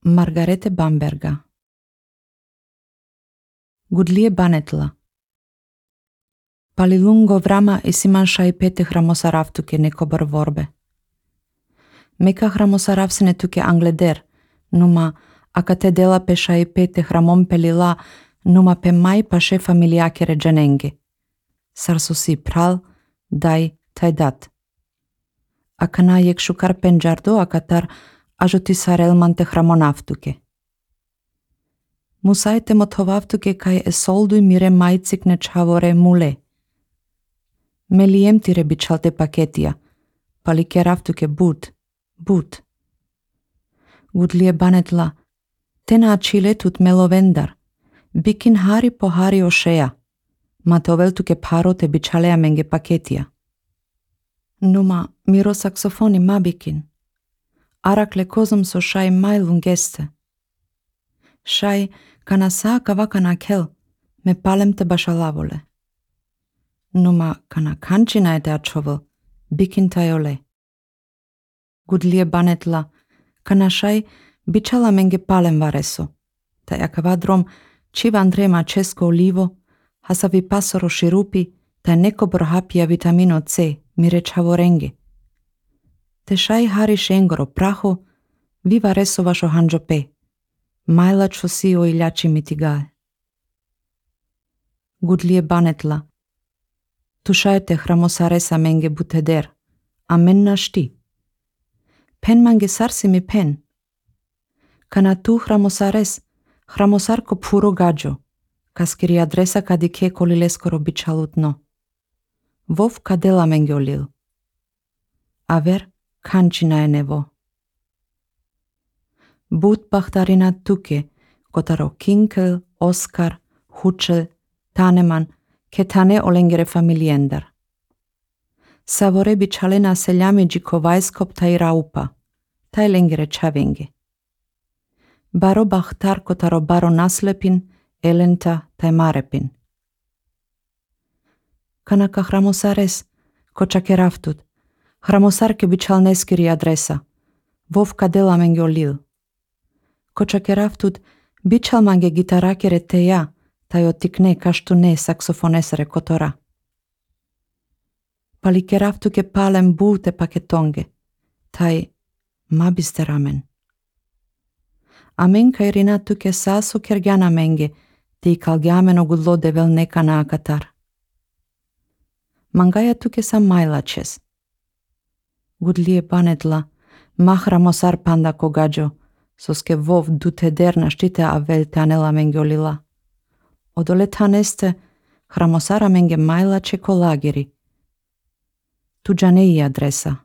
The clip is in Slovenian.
Margarete Bamberga. Gudlie Banetla. Palilungo vrama isiman šaipete hramosaravtuke nekobar vorbe. Meka hramosaravsene tuke angleder, numa akate dela pe šaipete hramon pelila, numa pe mai paše familiake ređanenge. Sarsosi pral, dai, tajdat. Akana jek šukar penjardo akatar ajoti sarelmante hramonavtuke. Musajte motovavtuke kaj esoldu mire majcikne čavore mule. Meliem tire bičalte paketia, palikeravtuke but. Gudlie Banetla, tena achile tut melovendar, bikin hari po hari ošeja, matoveltuke parote bičalea menge paketia. Numa miro saksofoni mabikin, arakle kozom so šaj mai lungeste. Šaj kana saaka vakana kel, me palem te bašalavole. Numa kana kančina ete ačovo, bikin tajole. Gudlie Banetla, kana šaj bičala menge palem vareso, ta jakavadrom čiva Andrema česko olivo, hasavi pasoro širupi, ta neko borhapija vitamino C, mire čavorenge. Te šaj hari šengoro praho, vi vareso vašo hanđope, majla čosi o iljači mitigae. Gudlie Banetla, tušajte hramosaresa menge buteder, a men našti. Pen mange sarsi mi pen. Kana tu hramosares, hramosarko puro gađo, kaskiri adresa kadike kolileskoro bičalutno. Vov kadela menge olil. Aver kančina je nevo. But bahtarina tuke, kotaro Kinkel, Oskar, Hučel, Taneman, ketane olengere familiendar. Savore bičalena seljami džikovajskop taj raupa, taj lengere čavenge. Baro bahtar kotaro baro naslepin, elenta taj marepin. Kanaka hramosares, kočake raftut, hramosarke bičal neskiri adresa, vov kadela menge olil. Kočake raftut, bičal mange gitarakere teja, taj otikne kaštu ne saksofonesere kotora. Palikeravtuke palem bute paketonge, taj mabiste ramen. Amen kaj rinatuke saso kergjana menge, ti kalgjameno gudlode vel neka na akatar. Mangaja tuke sam majlačes. Gudlie Banetla, mahramosar panda kogađo, soske vov dute derna štite a vel tanela menge olila. Odole taneste hramosara menge majlače kolagiri. Tuđa ne i adresa.